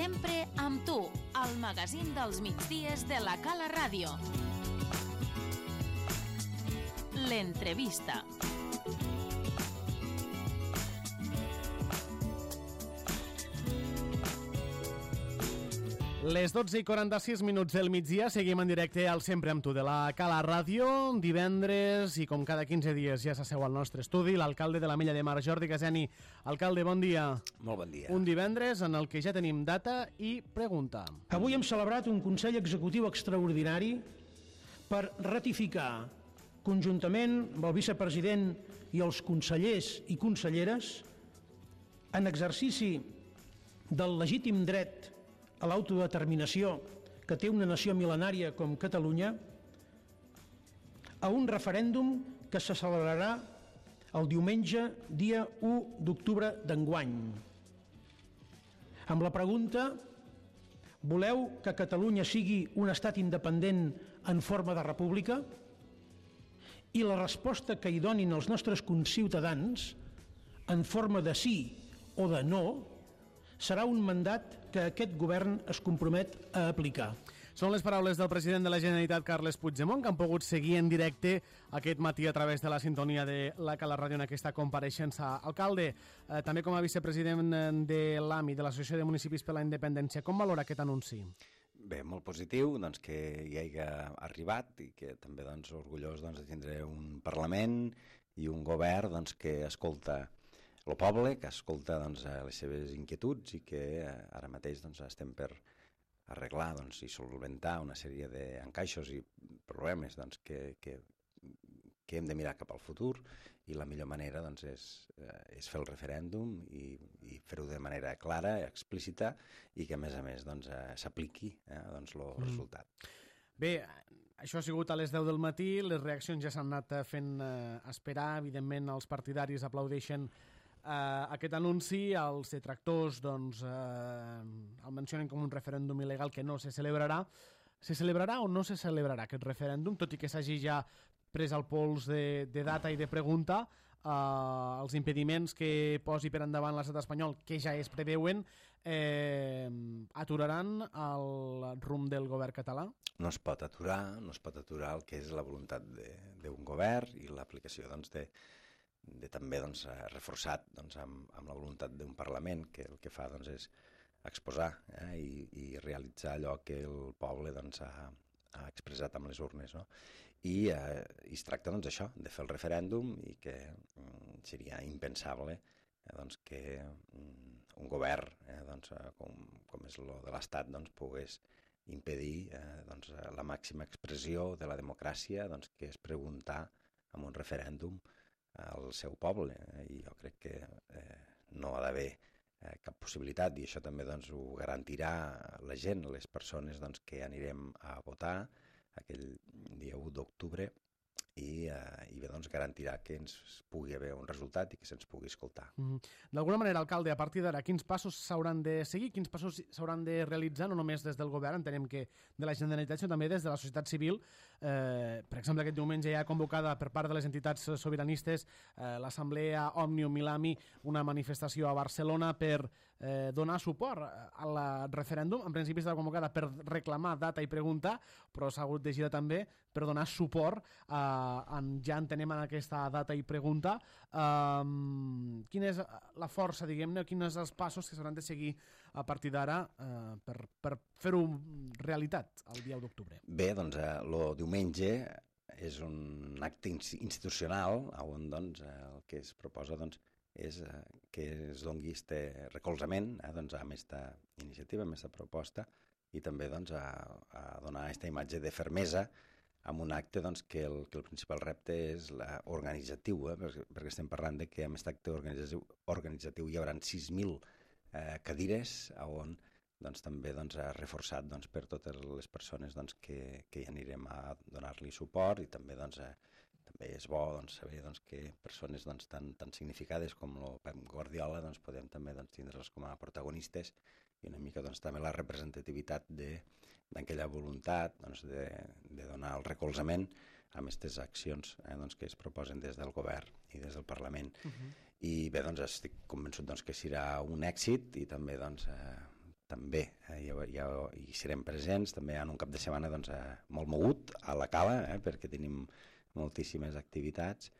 Sempre amb tu, al magazín dels migdies de la Cala Ràdio. L'entrevista. Les 12:46 del migdia, seguim en directe al Sempre amb tu de la Cala Ràdio. Divendres, i com cada 15 dies ja s'asseu al nostre estudi, l'alcalde de l'Ametlla de Mar, Jordi Caseni. Alcalde, bon dia. Molt bon dia. Un divendres en el que ja tenim data i pregunta. Avui hem celebrat un Consell Executiu extraordinari per ratificar conjuntament amb el vicepresident i els consellers i conselleres, en exercici del legítim dret a l'autodeterminació que té una nació mil·lenària com Catalunya, a un referèndum que se celebrarà el diumenge, dia 1 d'octubre d'enguany. Amb la pregunta: voleu que Catalunya sigui un estat independent en forma de república? I la resposta que hi donin els nostres conciutadans, en forma de sí o de no, serà un mandat que aquest govern es compromet a aplicar. Són les paraules del president de la Generalitat, Carles Puigdemont, que han pogut seguir en directe aquest matí a través de la sintonia de la Cala Ràdio en aquesta compareixença. Alcalde, també com a vicepresident de l'AMI, de l'Associació de Municipis per la Independència, com valora aquest anunci? Bé, molt positiu que hi hagi arribat i que també orgullós de tindre un Parlament i un govern que escolta el poble, que escolta les seves inquietuds i que ara mateix estem per arreglar i solventar una sèrie d'encaixos i problemes que hem de mirar cap al futur, i la millor manera és fer el referèndum i fer-ho de manera clara, explícita, i que a més s'apliqui el resultat. Bé, això ha sigut a les 10 del matí, les reaccions ja s'han anat fent esperar, evidentment els partidaris aplaudeixen aquest anunci, els detractors el mencionen com un referèndum il·legal que no se celebrarà. Se celebrarà o no se celebrarà aquest referèndum, tot i que s'hagi ja pres el pols de data i de pregunta? Els impediments que posi per endavant l'estat espanyol, que ja es preveuen, aturaran el rumb del govern català? No es pot aturar el que és la voluntat d'un govern i l'aplicació també reforçat amb la voluntat d'un Parlament que el que fa és exposar i realitzar allò que el poble ha expressat amb les urnes, no? I es tracta d'això, de fer el referèndum, i que seria impensable que un govern com és el de l'Estat pogués impedir la màxima expressió de la democràcia, que és preguntar amb un referèndum al seu poble, i jo crec que no ha d'haver cap possibilitat, i això també ho garantirà la gent, les persones que anirem a votar aquell dia 1 d'octubre, i bé, garantirà que ens pugui haver un resultat i que se'ns pugui escoltar. D'alguna manera, alcalde, a partir d'ara, quins passos s'hauran de seguir, quins passos s'hauran de realitzar, no només des del govern, entenem que de la Generalitat, sinó també des de la societat civil? Per exemple, aquest diumenge ja ha convocada per part de les entitats sobiranistes l'Assemblea Òmnium i l'AMI una manifestació a Barcelona per donar suport al referèndum. En principi està convocada per reclamar data i pregunta, però s'ha hagut de girar també per donar suport ja entenem en aquesta data i pregunta. Quina és la força, diguem-ne, quins són els passos que s'hauran de seguir a partir d'ara per fer-ho realitat el dia 1 d'octubre? Bé, el diumenge és un acte institucional on el que es proposa és que es doni aquest recolzament a aquesta iniciativa, a aquesta proposta, i també a donar aquesta imatge de fermesa amb un acte que el principal repte és organitzatiu, perquè estem parlant que amb aquest acte organitzatiu hi haurà 6.000 cadires on també reforçat per totes les persones que hi anirem a donar-li suport, i també també és bo saber que persones tan significades com el Pep Guardiola podem també tindre'ls com a protagonistes, i una mica també la representativitat d'aquella voluntat de donar el recolzament a aquestes accions que es proposen des del govern i des del Parlament. I bé, estic convençut que serà un èxit, i també també hi serem presents, també en un cap de setmana doncs, molt mogut a la Cala, perquè tenim moltíssimes activitats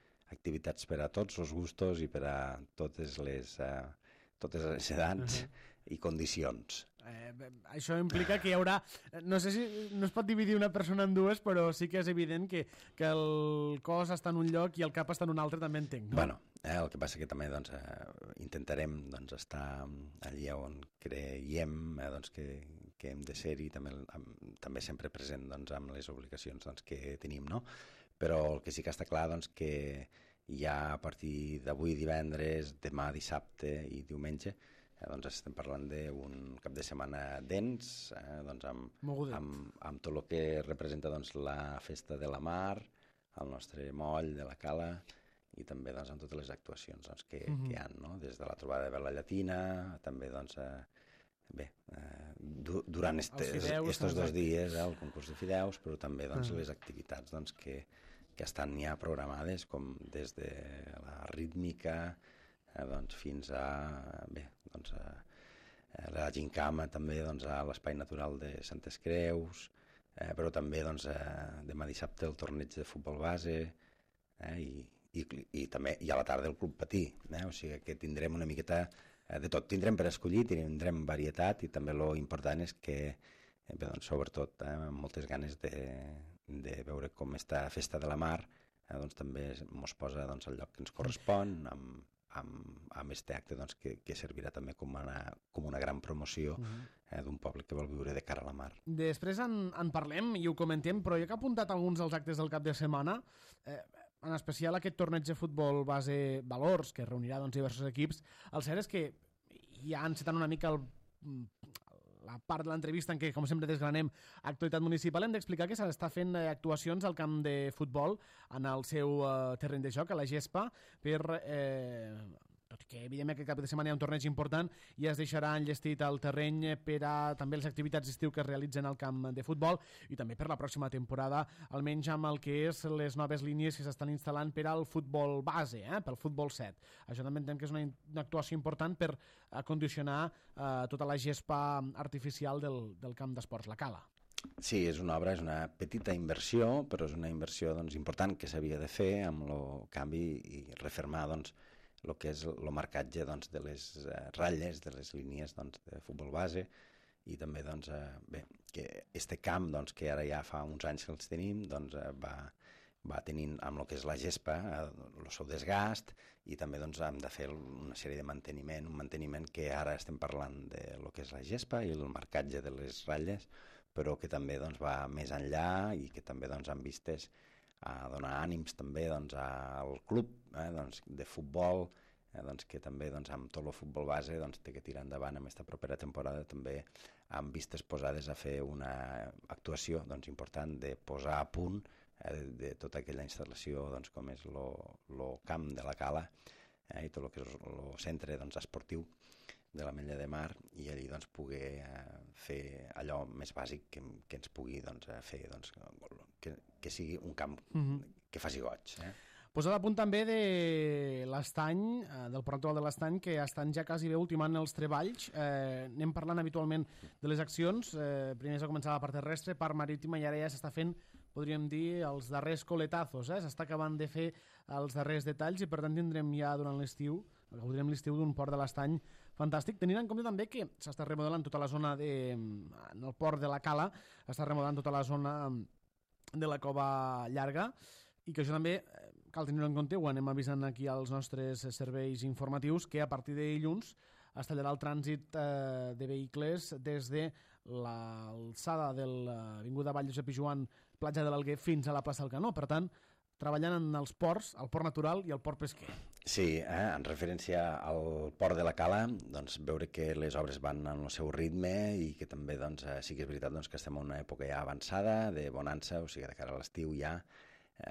per a tots els gustos i per a totes les edats i condicions. Això implica que hi haurà... No sé si no es pot dividir una persona en dues, però sí que és evident que el cos està en un lloc i el cap està en un altre, també entenc, no? Bueno, el que passa que també doncs, intentarem doncs, estar allà on creiem que hem de ser-hi, també sempre present doncs, amb les obligacions doncs, que tenim, no? Però el que sí que està clar doncs, que ja a partir d'avui divendres, demà dissabte i diumenge doncs estem parlant d'un cap de setmana dens, doncs amb tot el que representa doncs, la festa de la mar, el nostre moll de la Cala i també doncs, amb totes les actuacions doncs, que hi ha, no? Des de la trobada de Vela Llatina, també doncs, durant estos 2 dies el concurs de fideus, però també doncs, les activitats doncs, que estan ja programades, com des de la rítmica doncs, fins a la gincama, també doncs, a l'Espai Natural de Santes Creus, però també doncs, demà dissabte el torneig de futbol base i també i a la tarda el Club Patí, o sigui que tindrem una miqueta de tot, tindrem per escollir, tindrem varietat i també lo important és que doncs, sobretot amb moltes ganes de veure com esta festa de la mar doncs, també ens posa doncs, al lloc que ens correspon amb este acte doncs, que servirà també com una gran promoció d'un poble que vol viure de cara a la mar. Després en parlem i ho comentem, però jo que he apuntat alguns dels actes del cap de setmana, en especial aquest torneig de futbol base Valors, que reunirà doncs, diversos equips, el cert és que ja encetant una mica la part de l'entrevista en què, com sempre, desgranem actualitat municipal, hem d'explicar que s'està fent actuacions al camp de futbol en el seu terreny de joc, a la gespa, per... tot i que evidentment aquest cap de setmana hi ha un torneig important i es deixarà enllestit el terreny per a també les activitats d'estiu que es realitzen al camp de futbol i també per la pròxima temporada, almenys amb el que és les noves línies que s'estan instal·lant per al futbol base, pel futbol 7. Això també entenem que és una actuació important per acondicionar tota la gespa artificial del camp d'esports, la Cala. Sí, és una obra, és una petita inversió, però és una inversió doncs, important que s'havia de fer amb el canvi i refermar doncs, el que és el marcatge doncs, de les ratlles, de les línies doncs, de futbol base i també doncs, que este camp doncs, que ara ja fa uns anys que els tenim doncs, va tenint amb el que és la gespa el seu desgast i també doncs, hem de fer una sèrie de manteniment, un manteniment que ara estem parlant de lo que és la gespa i el marcatge de les ratlles, però que també doncs, va més enllà i que també doncs, han vistes a donar ànims també doncs, al club doncs, de futbol, doncs, que també doncs, amb tot el futbol base doncs, té que tirar endavant amb aquesta propera temporada també amb vistes posades a fer una actuació doncs, important de posar a punt de tota aquella instal·lació doncs, com és el camp de la Cala i tot el que és el centre doncs, esportiu de l'Ametlla de Mar i allí doncs, poder fer allò més bàsic que ens pugui doncs, fer doncs, que sigui un camp que faci goig. Posat a punt també de l'Estany, del Port Actual de l'Estany, que estan ja quasi bé ultimant els treballs. Anem parlant habitualment de les accions. Primer s'ha començat la part terrestre, part marítima, i ara ja s'està fent, podríem dir, els darrers coletazos. S'està acabant de fer els darrers detalls i per tant tindrem ja durant l'estiu, gaudirem l'estiu d'un port de l'Estany fantàstic, tenint en compte també que s'està remodelant tota la zona en el port de la Cala, està remodelant tota la zona de la Cova Llarga i que això també cal tenir-ho en compte, ho anem avisant aquí als nostres serveis informatius, que a partir de dilluns es tallarà el trànsit de vehicles des de l'alçada de l'avinguda Vall Josep i Joan, platja de l'Alguer, fins a la plaça del Canó. Per tant, treballant en els ports, el port natural i el port pesquer. Sí, en referència al port de la Cala, doncs, veure que les obres van en el seu ritme i que també doncs, sí que és veritat doncs, que estem en una època ja avançada, de bonança, o sigui, de cara a l'estiu ja,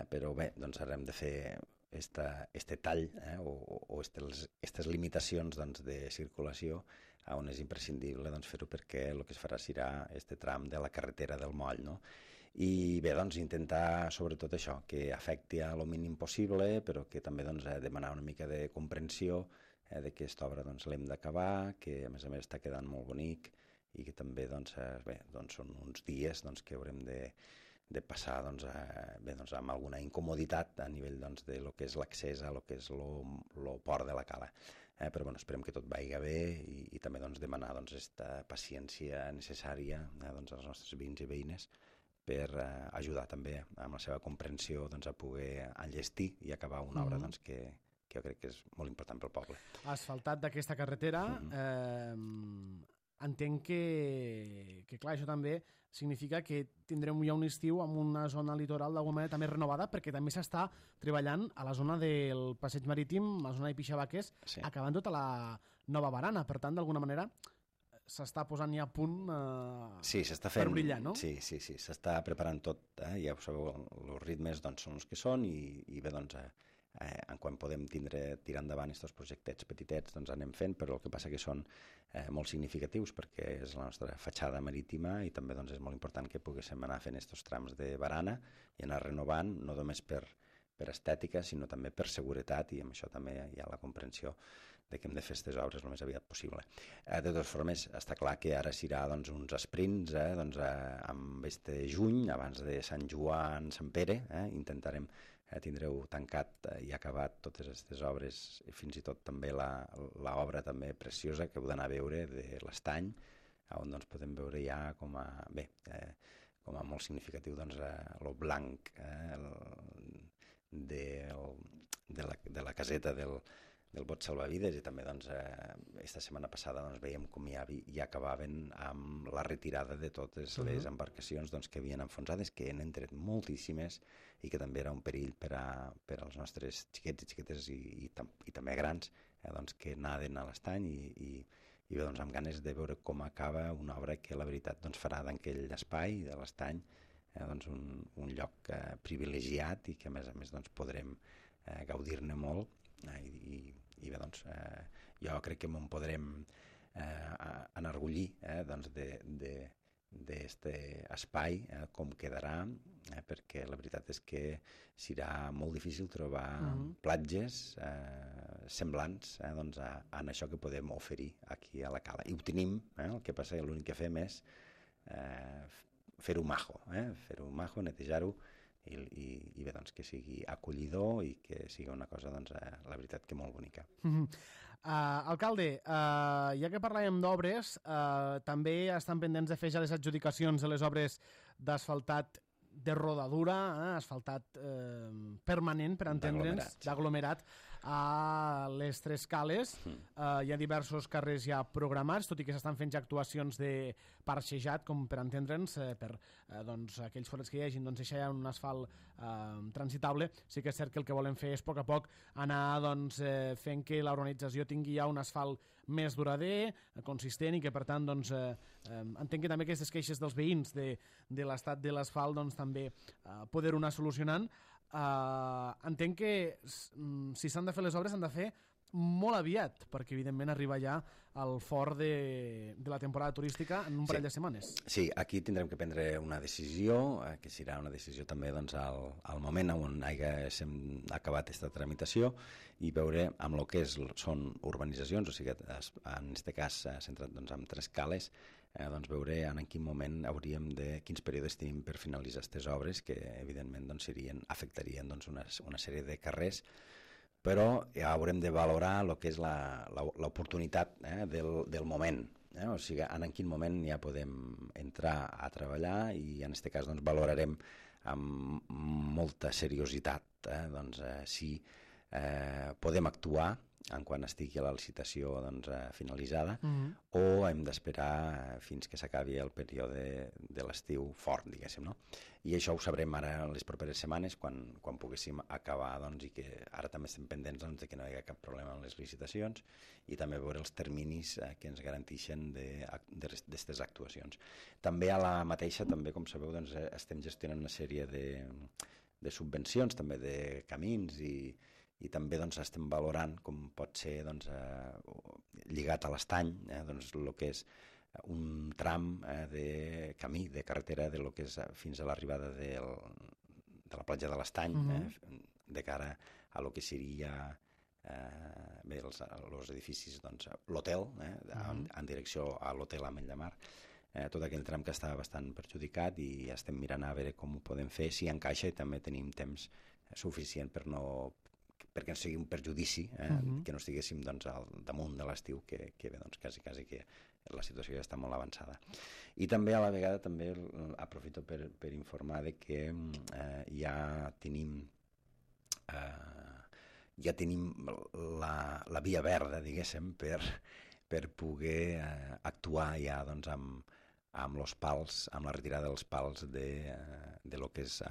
però bé, doncs ara hem de fer este tall o aquestes limitacions doncs, de circulació on és imprescindible doncs, fer-ho perquè el que es farà serà este tram de la carretera del Moll, no? I bé, doncs, intentar sobretot això, que afecti a lo mínim possible, però que també doncs, demanar una mica de comprensió de que aquesta obra doncs, l'hem d'acabar, que a més està quedant molt bonic i que també doncs, són uns dies doncs, que haurem de passar doncs, amb alguna incomoditat a nivell doncs, de lo que és l'accés a lo que és lo port de la cala. Però esperem que tot vagi bé i també doncs, demanar aquesta paciència necessària doncs, als nostres veïns i veïnes per ajudar també amb la seva comprensió doncs, a poder enllestir i acabar una obra doncs, que jo crec que és molt important pel poble. Asfaltat d'aquesta carretera, entenc que clar, això també significa que tindrem ja un estiu amb una zona litoral d'alguna manera també renovada, perquè també s'està treballant a la zona del passeig marítim, a la zona de Pixabaques, acabant tota la nova barana. Per tant, d'alguna manera, s'està posant ja a punt per brillar, no? Sí, s'està preparant tot. Ja ho sabeu, els ritmes doncs, són els que són i bé, doncs, en quan podem tirar endavant aquests projectets petitets doncs anem fent, però el que passa que són molt significatius perquè és la nostra fatxada marítima i també doncs, és molt important que poguéssim anar fent aquests trams de barana i anar renovant, no només per estètica, sinó també per seguretat, i amb això també hi ha la comprensió de que hem de fer aquestes obres el més aviat possible. De totes formes, està clar que ara serà doncs, uns sprints doncs, amb este juny, abans de Sant Joan, Sant Pere, intentarem tindreu tancat i acabat totes aquestes obres, i fins i tot també l'obra també preciosa que heu d'anar a veure de l'Estany, on doncs, podem veure ja com a molt significatiu doncs, lo blanc de la caseta del bot salvavides, i també doncs, esta setmana passada doncs, veiem com ja acabaven amb la retirada de totes les embarcacions doncs, que havien enfonsades, que n'han tret moltíssimes i que també era un perill per als nostres xiquets i xiquetes i també grans doncs, que naden a l'estany i bé, doncs, amb ganes de veure com acaba una obra que la veritat doncs, farà d'aquell espai de l'estany doncs, un lloc privilegiat i que a més doncs, podrem gaudir-ne molt i bé, doncs, jo crec que me'n podrem enorgullir doncs, d'este espai, com quedarà, perquè la veritat és que serà molt difícil trobar platges semblants doncs, a això que podem oferir aquí a la cala. I ho tenim, el que passa que l'únic que fem és fer-ho majo, netejar-ho, i bé, doncs, que sigui acollidor i que sigui una cosa, doncs, la veritat, que molt bonica. Alcalde, ja que parlàvem d'obres, també estan pendents de fer ja les adjudicacions de les obres d'asfaltat de rodadura, asfaltat permanent, per entendre'ns, d'aglomerat, a les Tres Cales. Hi ha diversos carrers ja programats, tot i que s'estan fent ja actuacions de parxejat, com per entendre'ns, per aquells forats que hi hagin, doncs deixar ja un asfalt transitable. Sí que és cert que el que volem fer és a poc anar fent que la urbanització tingui ja un asfalt més durader, consistent, i que per tant entenc que també aquestes queixes dels veïns de l'estat de l'asfalt també poder-ho anar solucionant. Entenc que si s'han de fer les obres s'han de fer molt aviat, perquè evidentment arriba ja al fort de la temporada turística en un parell de setmanes. Sí, aquí tindrem que prendre una decisió, que serà una decisió també doncs, al moment on haguéssim acabat aquesta tramitació, i veure amb el que són urbanitzacions, o sigui, en aquest cas centrat doncs, en Tres Cales, doncs veure en quin moment quins períodes tenim per finalitzar aquestes obres, que evidentment doncs, afectarien doncs, una sèrie de carrers, però ja haurem de valorar el que és l'oportunitat del moment. O sigui, en quin moment ja podem entrar a treballar, i en aquest cas doncs, valorarem amb molta seriositat si podem actuar en quan estigui la licitació doncs, finalitzada, o hem d'esperar fins que s'acabi el període de l'estiu fort, diguéssim, no? I això ho sabrem ara en les properes setmanes, quan poguéssim acabar, doncs, i que ara també estem pendents doncs, de que no hi hagi cap problema en les licitacions, i també veure els terminis que ens garanteixen d'aquestes actuacions. També a la mateixa, també, com sabeu, doncs, estem gestionant una sèrie de subvencions, també de camins, i també doncs, estem valorant com pot ser doncs, lligat a l'estany doncs, el que és un tram de camí, de carretera, de lo que és fins a l'arribada de la platja de l'Estany, de cara a lo que seria bé, els edificis, doncs, l'hotel, en direcció a l'hotel Amell de Mar, tot aquell tram que estava bastant perjudicat i estem mirant a veure com ho podem fer, si encaixa, i també tenim temps suficient perquè no sigui un perjudici, que no estiguéssim doncs, al damunt de l'estiu, que bé, doncs, quasi que la situació ja està molt avançada. I també a la vegada també aprofito per informar de que ja tenim la via verda, diguéssim, per poder actuar ja doncs, amb els pals, amb la retirada dels pals de lo que és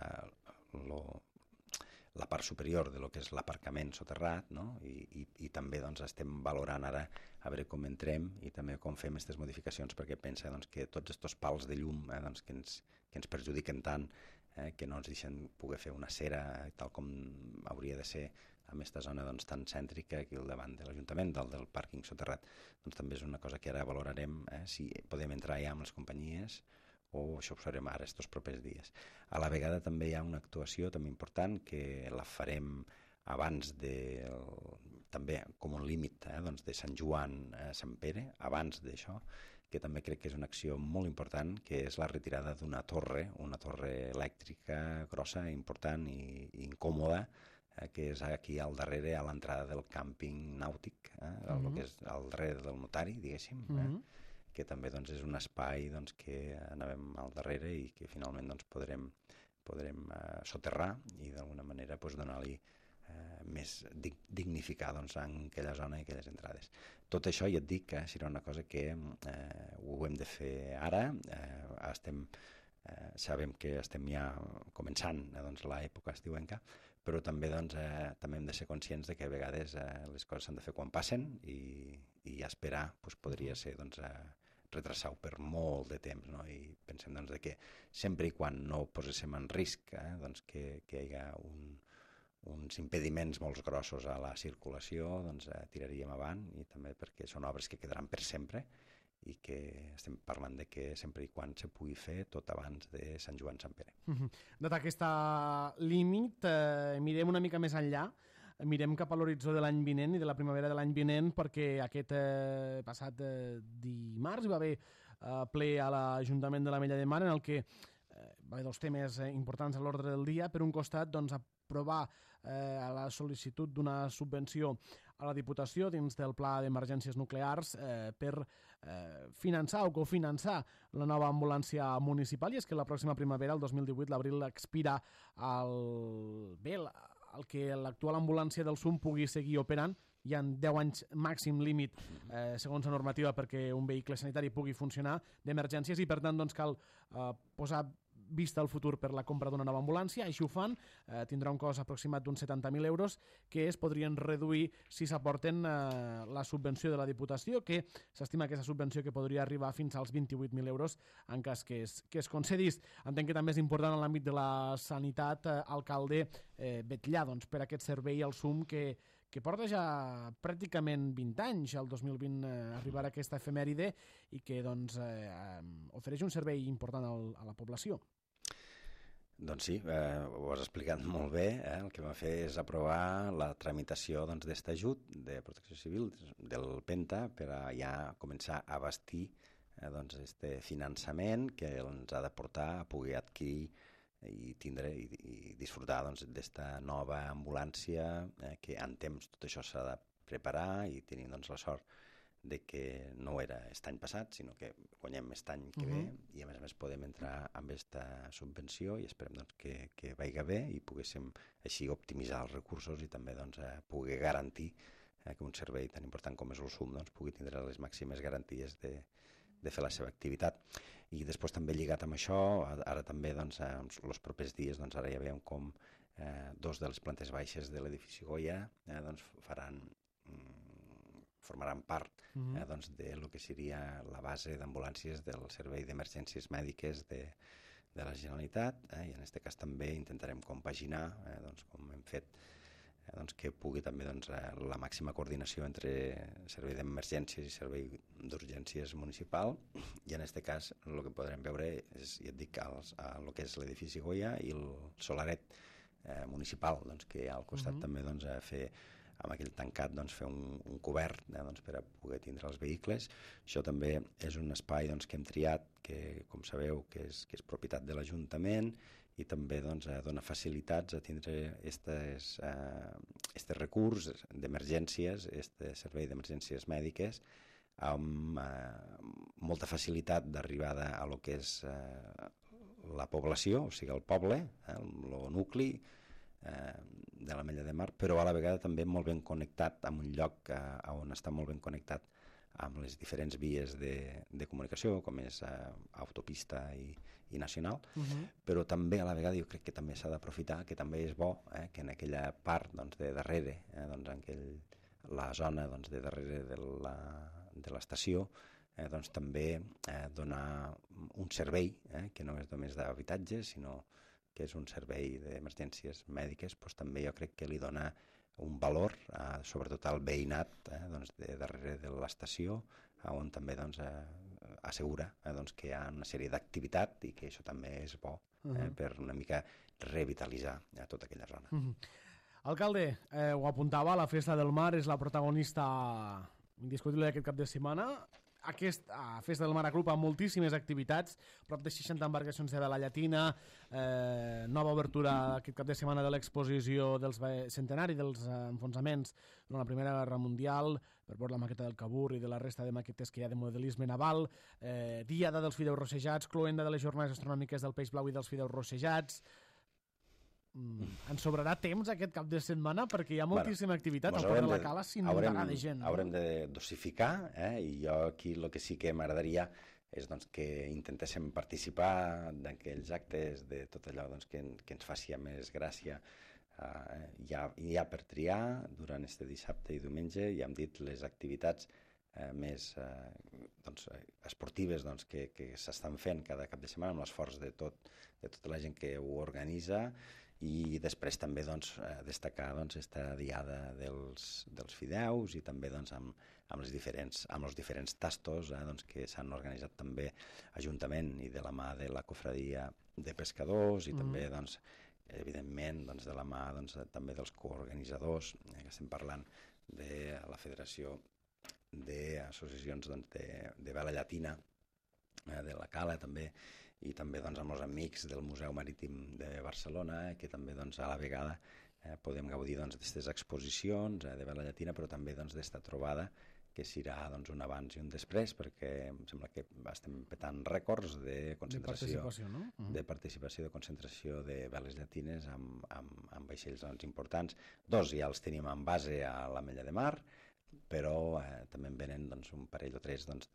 la part superior de lo que és l'aparcament soterrat, no? I també doncs, estem valorant ara a veure com entrem i també com fem aquestes modificacions, perquè pensa doncs, que tots aquests pals de llum doncs, que ens perjudiquen tant, que no ens deixen poder fer una cera tal com hauria de ser en aquesta zona doncs, tan cèntrica aquí al davant de l'Ajuntament, del pàrquing soterrat, doncs també és una cosa que ara valorarem, si podem entrar ja amb les companyies o això ho farem ara estos propers dies. A la vegada també hi ha una actuació també important que la farem abans també com un límit doncs de Sant Joan a Sant Pere, abans d'això, que també crec que és una acció molt important, que és la retirada d'una torre elèctrica grossa, important i incòmoda, que és aquí al darrere, a l'entrada del càmping nàutic, el que és al darrere del notari, diguéssim, que també doncs, és un espai doncs, que anàvem al darrere i que finalment doncs, podrem soterrar i d'alguna manera doncs, donar-li més dignificar doncs, en aquella zona i aquelles entrades. Tot això ja et dic que serà una cosa que ho hem de fer ara, sabem que estem ja començant doncs, l'època estiuenca, però també, doncs, també hem de ser conscients de que a vegades les coses s'han de fer quan passen i esperar doncs, podria ser doncs, retrasar-ho per molt de temps, no? I pensem doncs, que sempre i quan no poséssim en risc doncs, que hi hagi uns impediments molt grossos a la circulació, doncs tiraríem avant, i també perquè són obres que quedaran per sempre i que estem parlant de que sempre i quan se pugui fer tot abans de Sant Joan Sant Pere. Dat aquest límit, mirem una mica més enllà, mirem cap a l'horitzó de l'any vinent i de la primavera de l'any vinent, perquè aquest passat dimarts hi va haver ple a l'Ajuntament de l'Ametlla de Mar, en el que va haver dos temes importants a l'ordre del dia. Per un costat, doncs, aprovar la sol·licitud d'una subvenció a la Diputació dins del Pla d'Emergències Nuclears per finançar o cofinançar la nova ambulància municipal, i és que la pròxima primavera, el 2018, l'abril, expira el que l'actual ambulància del SUM pugui seguir operant. Hi ha 10 anys màxim límit, segons la normativa, perquè un vehicle sanitari pugui funcionar d'emergències, i per tant doncs, cal posar vista al futur per la compra d'una nova ambulància. Així ho fan, tindrà un cost aproximat d'uns 70.000 euros que es podrien reduir si s'aporten la subvenció de la Diputació, que s'estima que és la subvenció que podria arribar fins als 28.000 euros en cas que es concedís. Entenc que també és important en l'àmbit de la sanitat, alcalde, vetllar doncs, per aquest servei al SUM que porta ja pràcticament 20 anys, el 2020 arribarà aquesta efemèride, i que doncs, ofereix un servei important a la població. Doncs sí, ho has explicat molt bé. El que vam fer és aprovar la tramitació d'aquest ajut de Protecció Civil del Penta per ja començar a bastir aquest finançament que ens ha de portar a poder adquirir i tindre i disfrutar d'esta nova ambulància, que en temps tot això s'ha de preparar, i tenim la sort de que no era aquest any passat, sinó que guanyem aquest any que ve, i a més podem entrar amb aquesta subvenció, i esperem que vagi bé i poguéssim així optimitzar els recursos i també poder garantir que un servei tan important com és el SUM pugui tindre les màximes garanties de fer la seva activitat. I després també lligat amb això, ara també els propers dies ara ja veiem com dos de les plantes baixes de l'edifici Goya formaran part de lo que seria la base d'ambulàncies del Servei d'Emergències Mèdiques de la Generalitat, i en aquest cas també intentarem compaginar, com hem fet, que pugui també la màxima coordinació entre servei d'emergències i servei d'urgències municipal, i en aquest cas el que podrem veure és, ja et dic, el que és l'edifici Goya i el solaret municipal, que al costat també a fer amb aquell tancat doncs, fer un cobert doncs, per a poder tindre els vehicles. Això també és un espai doncs, que hem triat, que com sabeu que és propietat de l'Ajuntament, i també doncs, dona facilitats a tindre este recurs d'emergències, este servei d'emergències mèdiques, amb molta facilitat d'arribada a lo que és la població, o sigui, el poble, el nucli de l'Ametlla de Mar, però a la vegada també molt ben connectat amb un lloc on està molt ben connectat amb les diferents vies de comunicació, com és autopista i nacional, però també a la vegada jo crec que també s'ha d'aprofitar, que també és bo que en aquella part doncs, de darrere, doncs, la zona doncs, de darrere de l'estació, doncs, també donar un servei que no és només d'habitatge, sinó que és un servei d'emergències mèdiques, doncs, també jo crec que li dona un valor, sobretot al veïnat doncs, de darrere de l'estació, on també doncs, assegura doncs, que hi ha una sèrie d'activitat i que això també és bo per una mica revitalitzar tota aquella zona. Alcalde, ho apuntava, la Festa del Mar és la protagonista indiscutible d'aquest cap de setmana. Aquesta Festa del Mar agrupa moltíssimes activitats, prop de 60 embarcacions de vela llatina, nova obertura aquest cap de setmana de l'exposició del centenari dels enfonsaments durant la Primera Guerra Mundial, per veure la maqueta del Cabur i de la resta de maquetes que hi ha de modelisme naval, diada dels fideus rossejats, cloenda de les jornades astronòmiques del peix blau i dels fideus rossejats. Ens sobrarà temps aquest cap de setmana perquè hi ha moltíssima activitat al Port de la Cala, s'inundarà de gent. Haurem de dosificar, i jo aquí el que sí que m'agradaria és doncs, que intentéssim participar d'aquells actes, de tot allò doncs, que ens faci més gràcia. Hi ha per triar durant este dissabte i diumenge, ja hem dit les activitats més doncs, esportives doncs, que s'estan fent cada cap de setmana, amb l'esforç de tota la gent que ho organitza, i després també doncs, destacar doncs, esta diada dels fideus i també doncs, amb els diferents tastos doncs, que s'han organitzat també Ajuntament i de la mà de la Cofradia de Pescadors i també doncs, evidentment doncs, de la mà doncs, també dels coorganitzadors, que estem parlant de la Federació d'Associacions doncs, de Vela Llatina de la Cala també, i també doncs, amb els amics del Museu Marítim de Barcelona, que també doncs, a la vegada podem gaudir d'aquestes exposicions de vela llatina, però també d'esta trobada que serà doncs, un abans i un després, perquè em sembla que estem petant rècords de concentració, de participació, de concentració de veles llatines amb vaixells doncs, importants. 2 ja els tenim en base a l'Ametlla de Mar, però també en venen doncs, un parell o 3 doncs,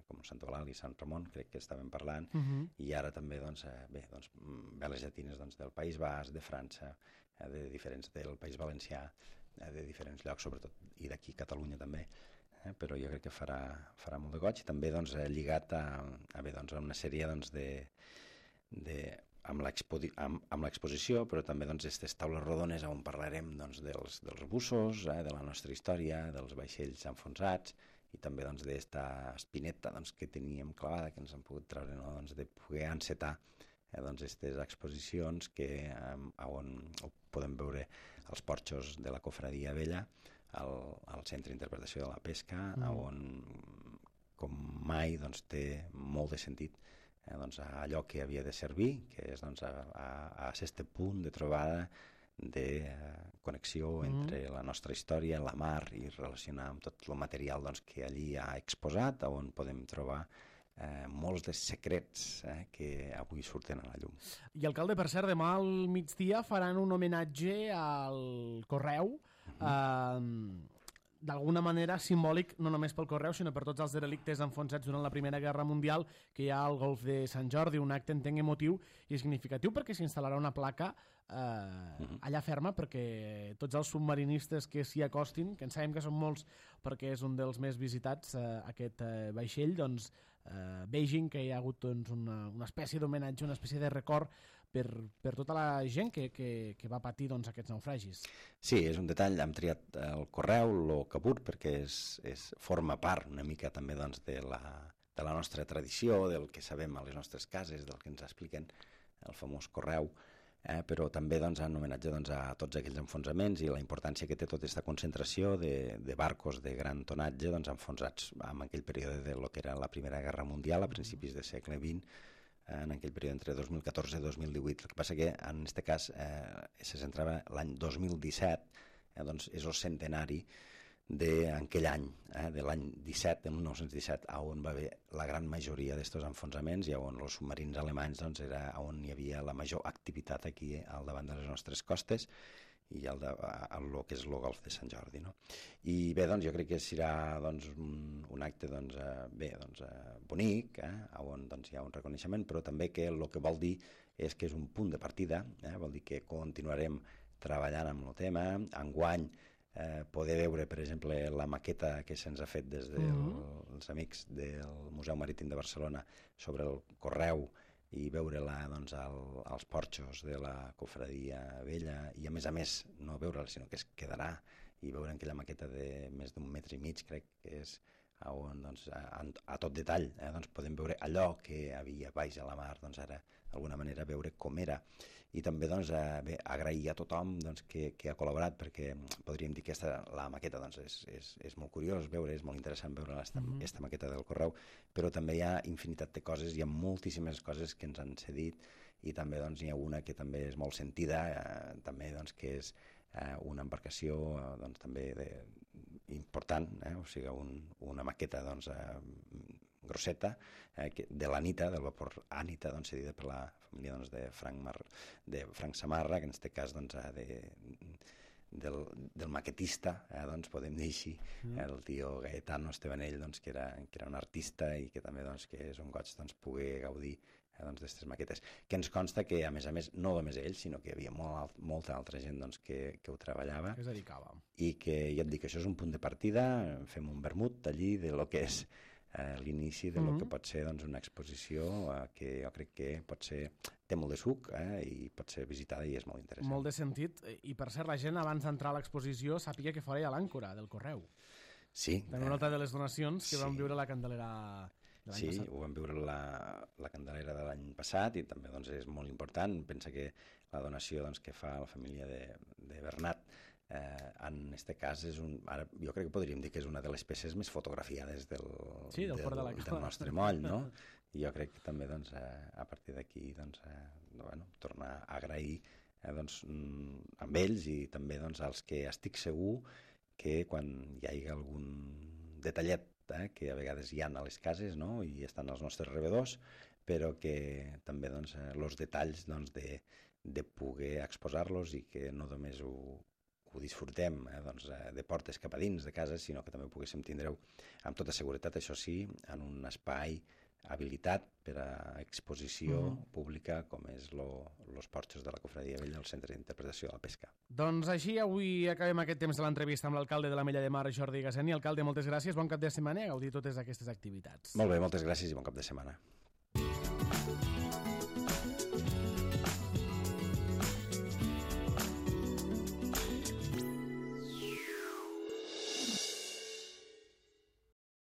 com Sant Eulàlia i Sant Ramon, crec que estàvem parlant, i ara també doncs, veles llatines doncs, del País Basc, de França, del País Valencià, de diferents llocs, sobretot, i d'aquí Catalunya també, però jo crec que farà molt de goig, i també doncs, lligat a una sèrie doncs, amb l'exposició, però també aquestes taules rodones on parlarem doncs, dels bussos, de la nostra història, dels vaixells enfonsats, i també d'esta espineta que teníem clavada, que ens han pogut treure, de poder encetar aquestes exposicions on podem veure els porxos de la Cofradia Vella, al Centre d'Interpretació de la Pesca, on com mai té molt de sentit allò que havia de servir, que és a aquest punt de trobada de connexió entre la nostra història, la mar, i relacionar amb tot el material que allí ha exposat, on podem trobar molts dels secrets que avui surten a la llum. I, alcalde, per cert, demà al migdia faran un homenatge al Correu, d'alguna manera simbòlic, no només pel Correu, sinó per tots els derelictes enfonsats durant la Primera Guerra Mundial, que hi ha al Golf de Sant Jordi, un acte, entenc, emotiu i significatiu, perquè s'instal·larà una placa allà ferma perquè tots els submarinistes que s'hi acostin, que en sabem que són molts perquè és un dels més visitats, aquest vaixell, doncs vegin que hi ha hagut una espècie d'homenatge, una espècie de record per tota la gent que va patir aquests naufragis. Sí, és un detall. Hem triat el Correu, el Cabur, perquè forma part una mica també de la nostra tradició, del que sabem a les nostres cases, del que ens expliquen el famós Correu, però també en homenatge a tots aquells enfonsaments i la importància que té tota aquesta concentració de barcos de gran tonatge enfonsats en aquell període de lo que era la Primera Guerra Mundial a principis del segle XX, en aquell període entre 2014 i 2018. El que passa que en aquest cas se centrava l'any 2017, és el centenari d'aquell any, de l'any 17, de 1917, on va haver la gran majoria d'aquests enfonsaments i on els submarins alemanys era on hi havia la major activitat aquí al davant de les nostres costes i el que és el Golf de Sant Jordi. No? I bé, jo crec que serà un acte bonic, on hi ha un reconeixement, però també que el que vol dir és que és un punt de partida, vol dir que continuarem treballant amb el tema. Enguany poder veure, per exemple, la maqueta que se'ns ha fet des dels amics del Museu Marítim de Barcelona sobre el Correu i veure-la als porxos de la Cofradia Vella i a més no veure-la sinó que es quedarà i veure aquella maqueta de més d'1,5 metres, crec que és on a tot detall podem veure allò que havia baix a la mar, ara d'alguna manera veure com era i també agrair a tothom que ha col·laborat, perquè podríem dir que la maqueta és molt curiós veure, és molt interessant veure aquesta maqueta del Correu, però també hi ha infinitat de coses, hi ha moltíssimes coses que ens han cedit i també n'hi ha una que també és molt sentida, també que és una embarcació també important, o sigui, una maqueta grosseta de l'Anita, del vapor Anita, cedida per la família de Frank Samarra, que en aquest cas del maquetista, podem dir així, el tio Gaetano Estebanell, que era un artista i que també que és un goig poder gaudir d'aquestes maquetes, que ens consta que a més no només ell, sinó que hi havia molta altra gent que ho treballava, que es dedicava, i que ja et dic, això és un punt de partida, fem un vermut allí de lo que és l'inici de lo que pot ser una exposició que jo crec que té molt de suc i pot ser visitada i és molt interessant. Molt de sentit, i per cert la gent abans d'entrar a l'exposició sàpiga que fora hi ha l'àncora del Correu. Sí. També una altra de les donacions que vam viure la Candelera de l'any passat. Sí, ho vam viure la Candelera de l'any passat i també és molt important. Pensa que la donació que fa la família de Bernat en aquest cas ara jo crec que podríem dir que és una de les peces més fotografiades del nostre moll, no? I jo crec que també a partir d'aquí tornar a agrair amb ells i també als que estic segur que quan hi hagi algun detallet que a vegades hi ha a les cases i estan als nostres rebedors, però que també els detalls de poder exposar-los i que no només ho disfrutem de portes cap a dins de casa, sinó que també poguéssim tindre-ho amb tota seguretat, això sí, en un espai habilitat per a exposició pública com és los porxos de la Cofradia Vella al Centre d'Interpretació de la Pesca. Doncs així avui acabem aquest temps de l'entrevista amb l'alcalde de l'Ametlla de Mar, Jordi Gaseni. Alcalde, moltes gràcies, bon cap de setmana i a gaudir totes aquestes activitats. Molt bé, moltes gràcies i bon cap de setmana.